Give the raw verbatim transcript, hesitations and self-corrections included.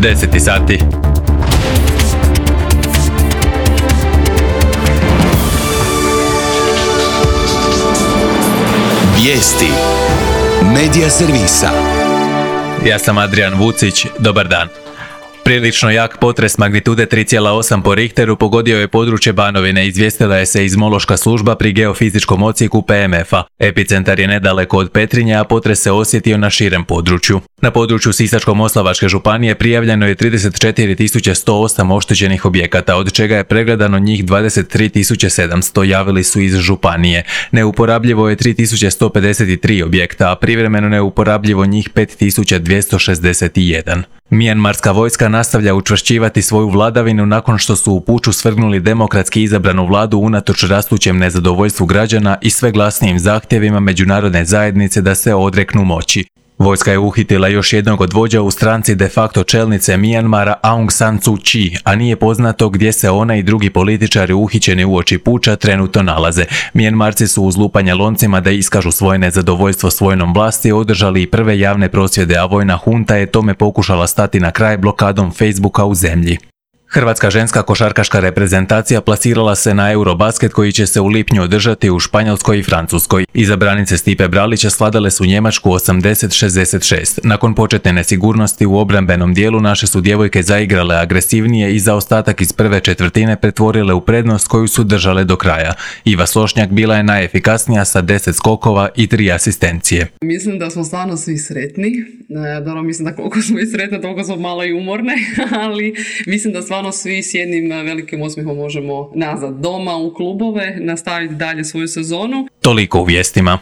deset sati. Vijesti Medija servisa. Ja sam Adrian Vucić, dobar dan. Prilično jak potres magnitude tri zarez osam po Richteru pogodio je područje Banovine, izvijestila je seizmološka služba pri geofizičkom odsjeku P M F-a. Epicentar je nedaleko od Petrinje, a potres se osjetio na širem području. Na području Sisačko-moslavačke županije prijavljeno je trideset četiri tisuće sto osam oštećenih objekata, od čega je pregledano njih dvadeset tri tisuće sedamsto, javili su iz županije. Neuporabljivo je tri tisuće sto pedeset tri objekta, a privremeno neuporabljivo njih pet tisuća dvjesto šezdeset jedan. Mijanmarska vojska nastavlja učvršćivati svoju vladavinu nakon što su u puču svrgnuli demokratski izabranu vladu unatoč rastućem nezadovoljstvu građana i sve glasnijim zahtjevima međunarodne zajednice da se odreknu moći. Vojska je uhitila još jednog od vođa u stranci de facto čelnice Mijanmara Aung San Suu Kyi, a nije poznato gdje se ona i drugi političari uhićeni uoči puča trenutno nalaze. Mijanmarci su uz lupanje loncima da iskažu svoje nezadovoljstvo s vojnom vlasti održali i prve javne prosvjede, a vojna hunta je tome pokušala stati na kraj blokadom Facebooka u zemlji. Hrvatska ženska košarkaška reprezentacija plasirala se na Eurobasket koji će se u lipnju održati u Španjolskoj i Francuskoj. Izabranice Stipe Bralića svladale su Njemačku osamdeset šezdeset šest. Nakon početne nesigurnosti u obrambenom dijelu naše su djevojke zaigrale agresivnije i zaostatak iz prve četvrtine pretvorile u prednost koju su držale do kraja. Iva Slošnjak bila je najefikasnija sa deset skokova i tri asistencije. Mislim da smo stvarno svi sretni. Dobro, mislim da koliko smo i sretni, toliko smo malo i umorne, ali mislim da stvarno svi s jednim velikim osmihom možemo nazad doma u klubove, nastaviti dalje svoju sezonu. Toliko u vijestima.